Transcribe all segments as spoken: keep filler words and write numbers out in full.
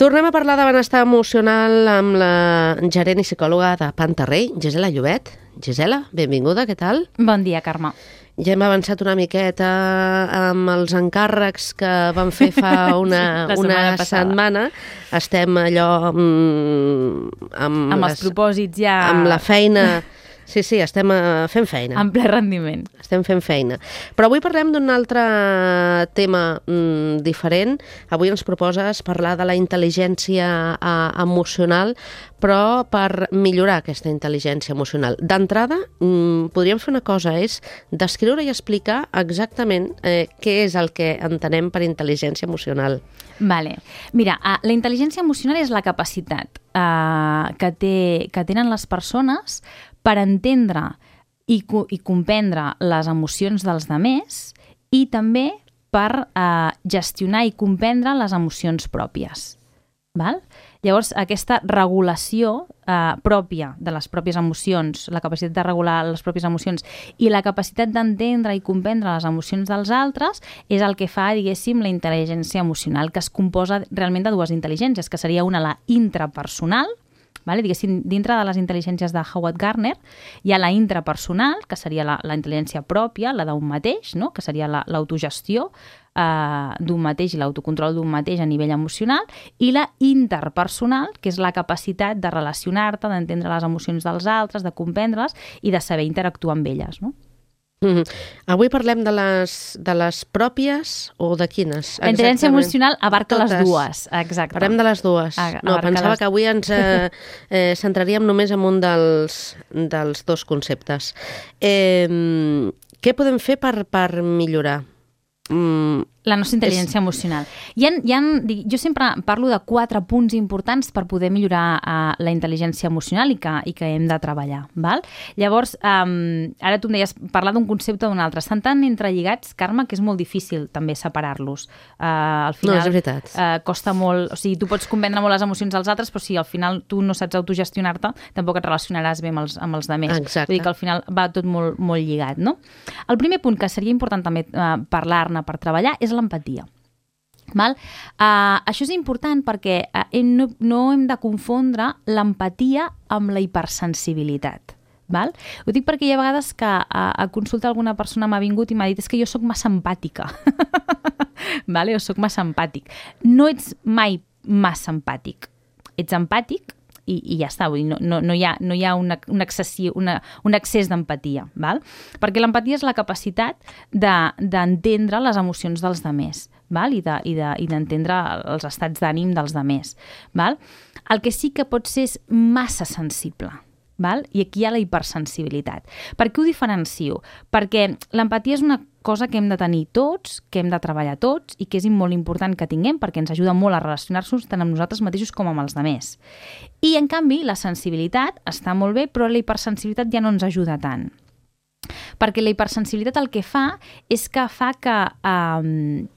Tornem a parlar de benestar emocional amb la gerent i psicòloga de Pantarrey, Gisela Llobet. Gisela, benvinguda, què tal? Bon dia, Carme. Ja hem avançat una miqueta amb els encàrrecs que vam fer fa una, una setmana. Estem allò mm, amb, amb les, els propòsits ja... amb la feina... Sí, sí, estem uh, fent feina. En ple rendiment. Estem fent feina. Però avui parlem d'un altre tema mm, diferent. Avui ens proposes parlar de la intel·ligència uh, emocional, però per millorar aquesta intel·ligència emocional. D'entrada, mm, podríem fer una cosa, és descriure i explicar exactament eh, què és el que entenem per intel·ligència emocional. Vale. Mira, uh, la intel·ligència emocional és la capacitat uh, que, té, que tenen les persones per entendre i, i comprendre les emocions dels demés i també per eh, gestionar i comprendre les emocions pròpies. Val? Llavors, aquesta regulació eh, pròpia de les pròpies emocions, la capacitat de regular les pròpies emocions i la capacitat d'entendre i comprendre les emocions dels altres és el que fa, diguéssim, la intel·ligència emocional, que es composa realment de dues intel·ligències, que seria una la intrapersonal, vale? Diguéssim, dintre de les intel·ligències de Howard Gardner hi ha la intrapersonal, que seria la, la intel·ligència pròpia, la d'un mateix, no? Que seria la, l'autogestió eh, d'un mateix i l'autocontrol d'un mateix a nivell emocional, i la interpersonal, que és la capacitat de relacionar-te, d'entendre les emocions dels altres, de comprendre-les i de saber interactuar amb elles, no? Mm-hmm. Avui parlem de les, de les pròpies o de quines? La intel·ligència emocional abarca Totes. Les dues, exacte. Parlem de les dues. A, no, pensava les... que avui ens eh, eh, centraríem només en un dels, dels dos conceptes. Eh, què podem fer per, per millorar? Mm, la nostra intel·ligència és... emocional. Hi ha, hi ha, jo sempre parlo de quatre punts importants per poder millorar uh, la intel·ligència emocional i que, i que hem de treballar. Val? Llavors, um, ara tu em deies parlar d'un concepte o d'un altre. Estan tan entrelligats, Carme, que és molt difícil també separar-los. Uh, al final, no, és veritat. Uh, costa molt... O sigui, tu pots comprendre molt les emocions dels altres, però si al final tu no saps autogestionar-te, tampoc et relacionaràs bé amb els, amb els demés. Exacte. Vull dir que al final va tot molt, molt lligat, no? El primer punt que seria important també uh, parlar-ne per treballar és l'empatia. Val? Uh, això és important perquè uh, no, no hem de confondre l'empatia amb la hipersensibilitat. Val? Ho dic perquè hi ha vegades que a, a consulta alguna persona m'ha vingut i m'ha dit és que jo sóc massa empàtica. Vale? O sóc massa empàtic. No ets mai massa empàtic. Ets empàtic i, i ja està, vull dir, no, no, no hi ha, no hi ha una, un, excessiu, una, un excés d'empatia, val? Perquè l'empatia és la capacitat de, d'entendre les emocions dels demés, val? I, de, i, de, i d'entendre els estats d'ànim dels demés. Val? El que sí que pot ser és massa sensible. Val? I aquí hi ha la hipersensibilitat. Per què ho diferencio? Perquè l'empatia és una cosa que hem de tenir tots, que hem de treballar tots i que és molt important que tinguem perquè ens ajuda molt a relacionar-nos tant amb nosaltres mateixos com amb els demés. I, en canvi, la sensibilitat està molt bé, però la hipersensibilitat ja no ens ajuda tant. Perquè la hipersensibilitat el que fa és que fa que... Um,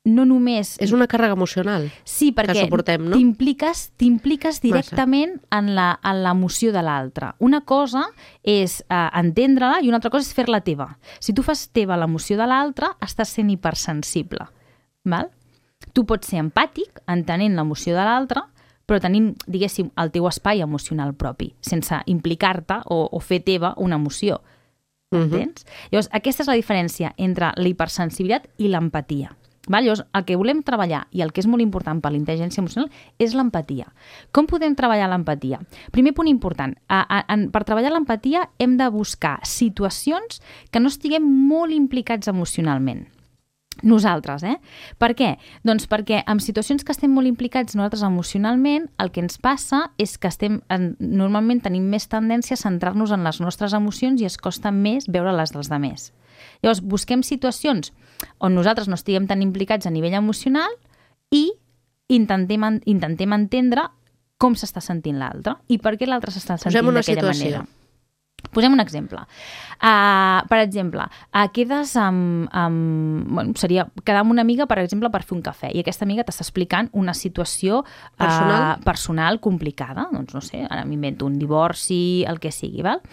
no només... És una càrrega emocional sí, perquè que suportem, no? T'impliques, t'impliques directament en, la, en l'emoció de l'altre. Una cosa és eh, entendre-la i una altra cosa és fer-la teva. Si tu fas teva l'emoció de l'altre, estàs sent hipersensible. Val? Tu pots ser empàtic, entenent l'emoció de l'altre, però tenint, diguéssim, el teu espai emocional propi, sense implicar-te o, o fer teva una emoció. Entens? Uh-huh. Llavors, aquesta és la diferència entre la hipersensibilitat i l'empatia. Val? Llavors, el que volem treballar i el que és molt important per la intel·ligència emocional és l'empatia. Com podem treballar l'empatia? Primer punt important, a, a, a, per treballar l'empatia hem de buscar situacions que no estiguem molt implicats emocionalment. Nosaltres, eh? Per què? Doncs perquè en situacions que estem molt implicats nosaltres emocionalment, el que ens passa és que estem, en, normalment tenim més tendència a centrar-nos en les nostres emocions i es costa més veure les dels demés. Llavors, busquem situacions on nosaltres no estiguem tan implicats a nivell emocional i intentem, intentem entendre com s'està sentint l'altre i per què l'altre s'està sentint d'aquella manera. Posem un exemple. Uh, per exemple, uh, quedes amb... amb bueno, seria quedar amb una amiga, per exemple, per fer un cafè, i aquesta amiga t'està explicant una situació uh, personal? personal complicada. Doncs no sé, ara m'invento un divorci, el que sigui, val?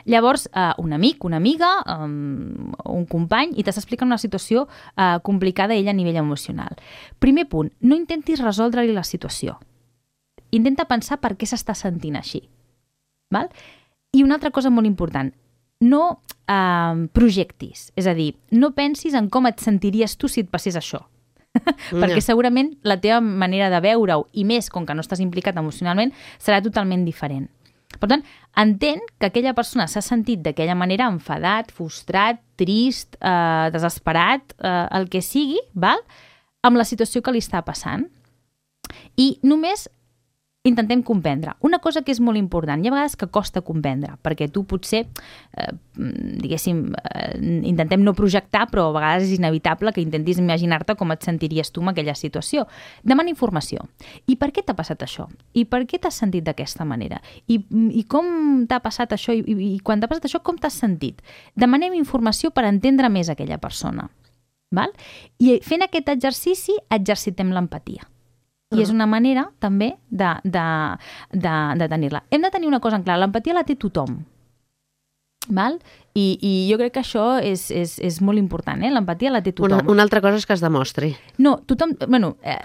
Llavors, uh, un amic, una amiga, um, un company, i t'està explicant una situació uh, complicada ella a nivell emocional. Primer punt, no intentis resoldre-li la situació. Intenta pensar per què s'està sentint així. Val? I una altra cosa molt important, no eh, projectis, és a dir, no pensis en com et sentiries tu si et passés això. Perquè No. segurament la teva manera de veure-ho, i més com que no estàs implicat emocionalment, serà totalment diferent. Per tant, entén que aquella persona s'ha sentit d'aquella manera enfadat, frustrat, trist, eh, desesperat, eh, el que sigui, val? Amb la situació que li està passant. I només intentem comprendre. Una cosa que és molt important, hi ha vegades que costa comprendre, perquè tu potser, eh, diguéssim, eh, intentem no projectar, però a vegades és inevitable que intentis imaginar-te com et sentiries tu en aquella situació. Demana informació. I per què t'ha passat això? I per què t'has sentit d'aquesta manera? I, i com t'ha passat això? I, i, i quan t'ha passat això, com t'has sentit? Demanem informació per entendre més aquella persona. Val? I fent aquest exercici, exercitem l'empatia. I és una manera, també, de, de, de, de tenir-la. Hem de tenir una cosa en clar, l'empatia la té tothom. Val? I, i jo crec que això és, és, és molt important, eh? L'empatia la té tothom. Una, una altra cosa és que es demostri. No, tothom... Bueno, eh,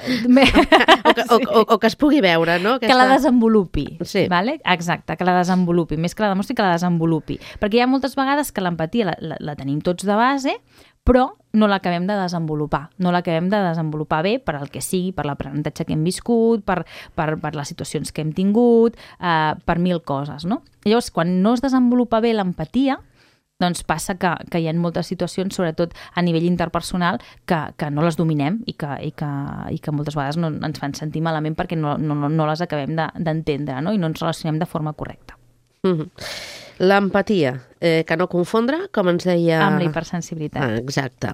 o, que, o, o, o que es pugui veure, no? Aquesta... Que la desenvolupi. Sí. Vale? Exacte, que la desenvolupi. Més que la demostri, que la desenvolupi. Perquè hi ha moltes vegades que l'empatia la, la, la tenim tots de base, però no l'acabem de desenvolupar. No l'acabem de desenvolupar bé per al que sigui, per l'aprenentatge que hem viscut, per, per, per les situacions que hem tingut, eh, per mil coses, no? Llavors, quan no es desenvolupa bé l'empatia, doncs passa que, que hi ha moltes situacions, sobretot a nivell interpersonal, que, que no les dominem i que, i, que, i que moltes vegades no ens fan sentir malament perquè no, no, no les acabem d'entendre, no? I no ens relacionem de forma correcta. Mm-hmm. L'empatia, eh, que no confondre, com ens deia... Amb la hipersensibilitat. Ah, exacte.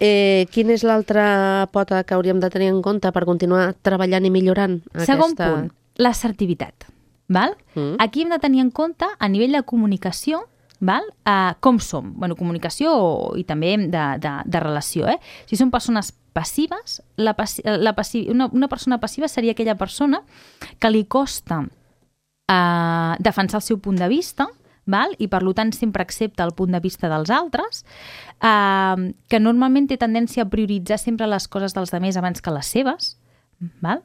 Eh, quina és l'altra pota que hauríem de tenir en compte per continuar treballant i millorant aquesta... Segon punt, l'assertivitat. Val? Mm. Aquí hem de tenir en compte, a nivell de comunicació, val? Uh, com som. Bueno, comunicació i també de, de, de relació. Eh? Si som persones passives, la passi la passi una, una persona passiva seria aquella persona que li costa uh, defensar el seu punt de vista, val? I per tant sempre accepta el punt de vista dels altres, eh, que normalment té tendència a prioritzar sempre les coses dels altres abans que les seves, val?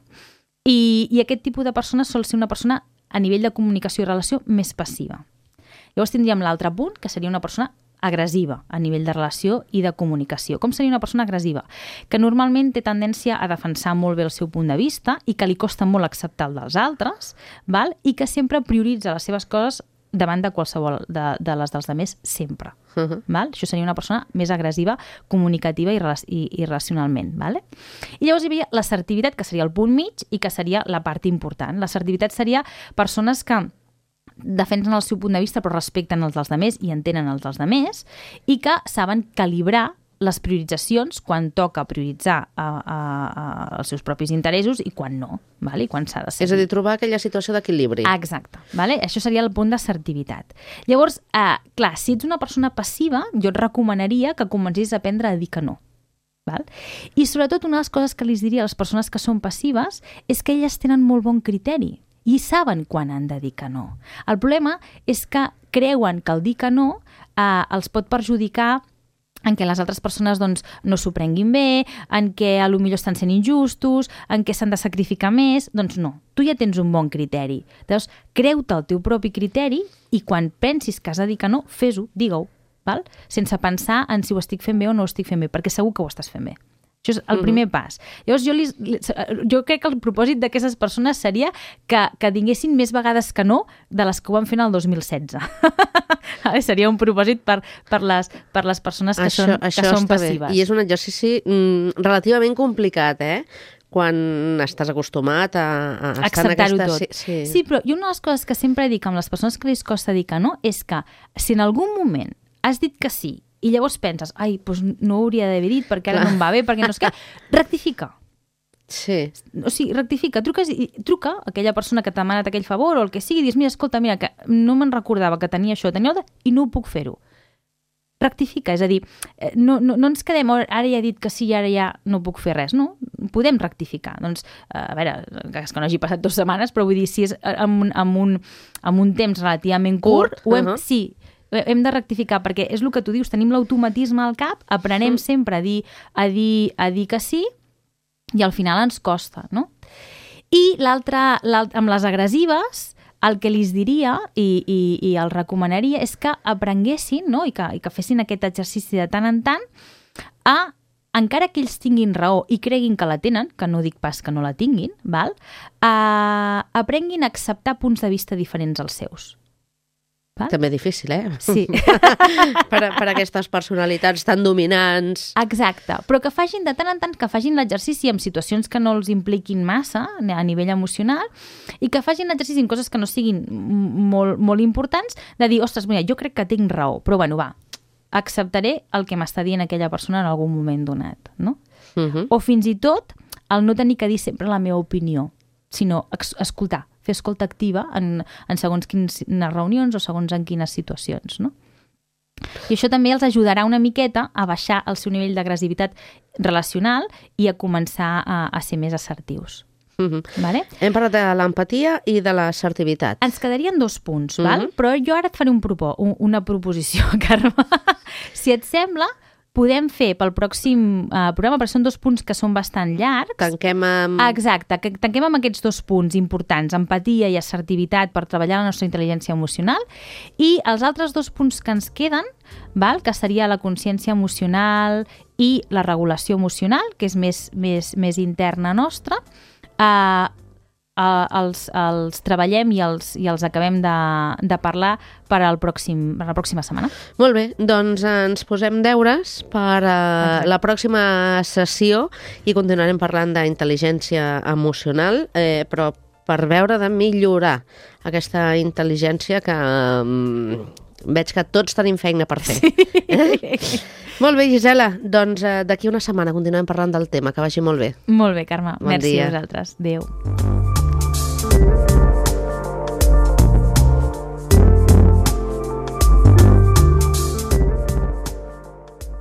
I, i aquest tipus de persona sol ser una persona a nivell de comunicació i relació més passiva. Llavors tindríem l'altre punt, que seria una persona agressiva a nivell de relació i de comunicació. Com seria una persona agressiva? Que normalment té tendència a defensar molt bé el seu punt de vista i que li costa molt acceptar el dels altres, val? I que sempre prioritza les seves coses davant de qualsevol de, de les dels altres sempre. Uh-huh. Val? Això seria una persona més agressiva, comunicativa i, i, i racionalment. Vale? I llavors hi havia l'assertivitat, que seria el punt mig i que seria la part important. L'assertivitat seria persones que defensen el seu punt de vista però respecten els dels altres i entenen els dels altres i que saben calibrar les prioritzacions quan toca prioritzar a, a, a els seus propis interessos i quan no, vale? I quan s'ha de seguir. És a dir, trobar aquella situació d'equilibri. Exacte. Vale? Això seria el punt d'assertivitat. Llavors, eh, clar, si ets una persona passiva, jo et recomanaria que comencis a aprendre a dir que no. Val? I sobretot una de les coses que els diria a les persones que són passives és que elles tenen molt bon criteri i saben quan han de dir que no. El problema és que creuen que el dir que no eh, els pot perjudicar en què les altres persones doncs, no s'ho prenguin bé, en què a lo millor estan sent injustos, en què s'han de sacrificar més. Doncs no, tu ja tens un bon criteri. Llavors, creu-te el teu propi criteri i quan pensis que has de dir que no, fes-ho, digue-ho, val? Sense pensar en si ho estic fent bé o no ho estic fent bé, perquè segur que ho estàs fent bé. Això és el primer pas. Llavors, jo, li, jo crec que el propòsit d'aquestes persones seria que, que tinguessin més vegades que no de les que ho van fer en el dos mil setze. Seria un propòsit per, per, les, per les persones que això, són, això que són passives. Bé. I és un exercici mm, relativament complicat, eh? Quan estàs acostumat a, a estar en aquesta... tot. Sí, sí. sí, però i una de les coses que sempre dic amb les persones que els costa dir que no és que si en algun moment has dit que sí i llavors penses, ai, doncs no ho hauria d'haver dit perquè ara no em va bé, perquè no és que... Rectifica. Sí. O sigui, rectifica, truca, truca a aquella persona que t'ha demanat aquell favor o el que sigui, i dius, mira, escolta, mira, que no me'n recordava que tenia això, tenia el... i no ho puc fer-ho. Rectifica, és a dir, no, no, no ens quedem, ara ja he dit que sí i ara ja no puc fer res, no? Podem rectificar. Doncs, a veure, és que no hagi passat dues setmanes, però vull dir, si és amb un, amb un, amb un temps relativament curt, curt ho hem, uh -huh. sí, hem de rectificar, perquè és el que tu dius, tenim l'automatisme al cap, aprenem mm. sempre a dir, a, dir, a dir que sí, i al final ens costa, no? I l'altre, amb les agressives, el que li diria i, i, i el recomanaria és que aprenguessin, no? I, que, i que fessin aquest exercici de tant en tant a, encara que ells tinguin raó i creguin que la tenen, que no dic pas que no la tinguin, val? A, aprenguin a acceptar punts de vista diferents als seus. Val? També difícil, eh? Sí. per, a, per a aquestes personalitats tan dominants. Exacte, però que facin de tant en tant, que facin l'exercici en situacions que no els impliquin massa a nivell emocional i que facin l'exercici en coses que no siguin molt, molt importants, de dir, ostres, mira, jo crec que tinc raó, però bueno, va, acceptaré el que m'està dient aquella persona en algun moment donat, no? Uh-huh. O fins i tot el no tenir que dir sempre la meva opinió, sinó escoltar, fer escolta activa en, en segons quines reunions o segons en quines situacions, no? I això també els ajudarà una miqueta a baixar el seu nivell d'agressivitat relacional i a començar a, a ser més assertius. Uh-huh. Vale? Hem parlat de l'empatia i de l'assertivitat. Ens quedarien dos punts, uh-huh. val? Però jo ara et faré un propò, un, una proposició, Carme. Si et sembla, podem fer pel pròxim uh, programa, perquè són dos punts que són bastant llargs. Tanquem amb... Exacte, que tanquem amb aquests dos punts importants, empatia i assertivitat per treballar la nostra intel·ligència emocional, i els altres dos punts que ens queden, val? Que seria la consciència emocional i la regulació emocional, que és més, més, més interna nostra, uh, Uh, els, els treballem i els, i els acabem de, de parlar per, al pròxim, per la pròxima setmana. Molt bé, doncs ens posem deures per uh, la pròxima sessió i continuarem parlant d'intel·ligència emocional, eh, però per veure de millorar aquesta intel·ligència que um, veig que tots tenim feina per fer. Sí. Eh? Molt bé, Gisela, doncs uh, d'aquí una setmana continuem parlant del tema, que vagi molt bé. Molt bé, Carme. Bon Merci dia. a vosaltres. Adéu.